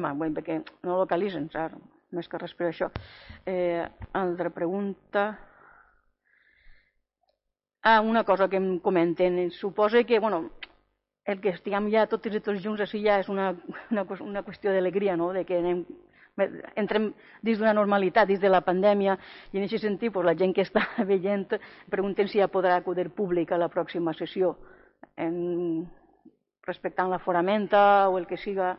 perquè no localitzen, més que res per això. Altra pregunta. Una cosa que em comenten, suposa que, el que estiguem ja totes i tots junts així ja és una qüestió d'alegria, no?, de que entrem dins d'una normalitat, dins de la pandèmia, i en aquest sentit la gent que està veient pregunten si ja podrà acudir públic a la pròxima sessió, respectant l'aforament o el que siga.